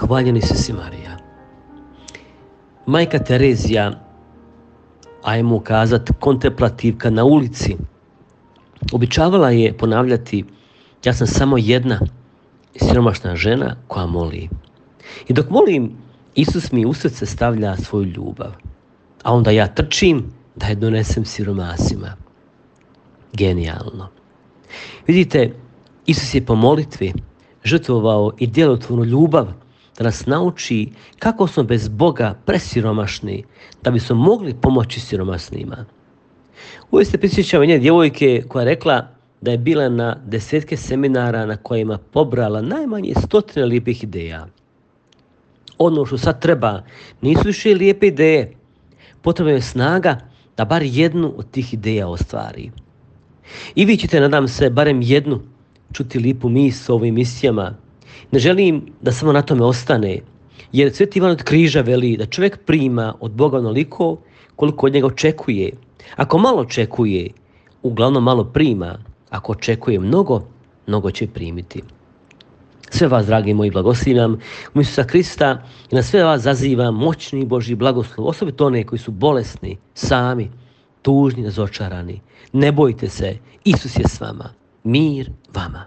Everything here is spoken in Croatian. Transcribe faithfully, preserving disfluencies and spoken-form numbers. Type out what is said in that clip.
Hvaljeni se si Marija. Majka Terezija, ajmo kazati kontemplativka na ulici, običavala je ponavljati: ja sam samo jedna siromašna žena koja moli. I dok molim, Isus mi u srce stavlja svoju ljubav, a onda ja trčim da je donesem siromasima. Genijalno. Vidite, Isus je po molitvi žrtvovao i djelotvornu ljubav da nas nauči kako smo bez Boga presiromašni da bismo mogli pomoći siromasnima. Uvijek se prisjećam jedne djevojke koja je rekla da je bila na desetke seminara na kojima pobrala najmanje stotine lijepih ideja. Ono što sad treba nisu više lijepe ideje, potrebna je snaga da bar jednu od tih ideja ostvari. I vi ćete, nadam se, barem jednu čuti lijepu misao u ovim misijama. Ne želim da samo na tome ostane, jer Sveti Ivan od Križa veli da čovjek prima od Boga onoliko koliko od njega očekuje. Ako malo očekuje, uglavnom malo prima. Ako očekuje mnogo, mnogo će primiti. Sve vas, dragi moji, blagoslivljam u Isusa Krista i na sve vas zazivam moćni Božji blagoslov, osobito one koji su bolesni, sami, tužni, razočarani. Ne bojte se, Isus je s vama. Mir vama.